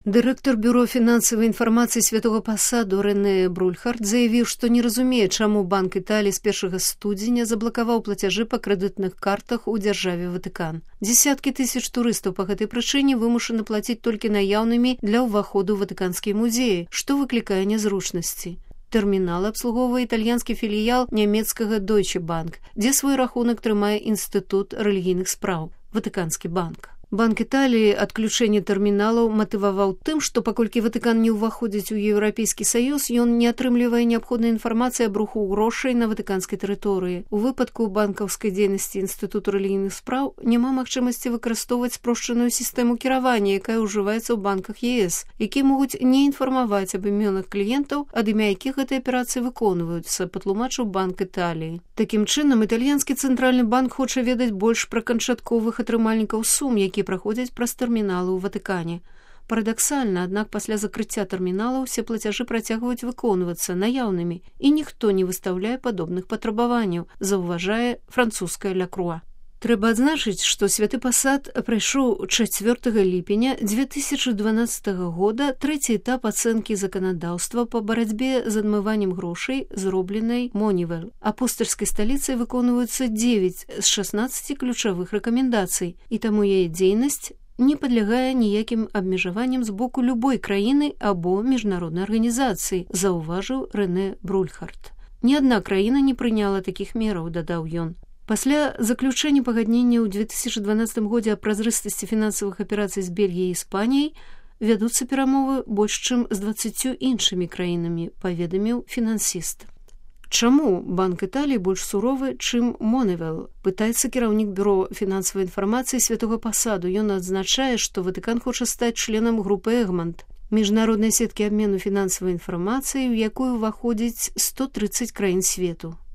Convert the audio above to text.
Дырэктар бюро фінансавай інфармацыі святога пасаду Рэне Брульхард заявіў, што не разумее, чаму Банк Італіі з 1 студзеня заблакаваў плацяжы па крэдытных картах у дзяржаве Ватыкан. Дзесяткі тысяч турыстаў па гэтай прычыне вымушаны плаціць толькі наяўнымі для ўваходу ў ватыканскія музеі, што выклікае нязручнасці. Тэрмінал абслугоўвае італьянскі філіял нямецкага Deutsche Bank, дзе свой рахунак трымае інстытут рэлігійных спраў – Ватыканскі банк. Банк Італіі адключэнне тэрміналаў матываваў тым, што паколькі Ватыкан не ўваходзіць у Еўрапейскі саюз, ён не атрымлівае неабходнай інфармацыі аб руху грошай на ватыканскай тэрыторыі. У выпадку банкаўскай дзейнасці інстытуту рэлігійных спраў няма магчымасці выкарыстоўваць спрошчаную сістэму кіравання, якая ўжываецца ў банках ЕС, якія могуць не інфармаваць аб імёнах кліентаў, ад імя якіх гэтыя аперацыі выконваюцца, патлумачыў Банк Італіі. Такім чынам, італьянскі цэнтральны банк хоча ведаць больш пра канчатковых атрымальнікаў сум, які праходзяць праз тэрміналы ў Ватыкане. Парадаксальна, аднак пасля закрыцця тэрміналаў усе плацяжы працягваюць выконвацца наяўнымі, і ніхто не выстаўляе падобных патрабаванняў, заўважае французская Ля Круа. Трэба адзначыць, што святы пасад прайшоў 4 ліпеня 2012 года трэці этап ацэнкі заканадаўства па барацьбе з адмываннем грошай, зробленай Монівел. Апостальскай сталіцай выконваюцца 9 з 16 ключавых рэкамендацый, і таму яе дзейнасць не падлягае ніякім абмежаванням з боку любой краіны або міжнароднай арганізацыі, заўважыў Рэне Брульхард. Ні адна краіна не прыняла такіх мераў, дадаў ён. Пасля заключэння пагаднення ў 2012 годзе аб празрыстасці фінансавых аперацый з Бельгіяй і Іспаніяй вядуцца перамовы больш чым з 20 іншымі краінамі, паведаміў фінансіст. Чаму Банк Італіі больш суровы, чым Монівел? Пытаецца кіраўнік бюро фінансавай інфармацыі святога пасаду. Ён адзначае, што Ватыкан хоча стаць членам групы Эгмонт, міжнароднай сеткі абмену фінансавай інфармацыі, у якую ўваходзіць 130 краін свету.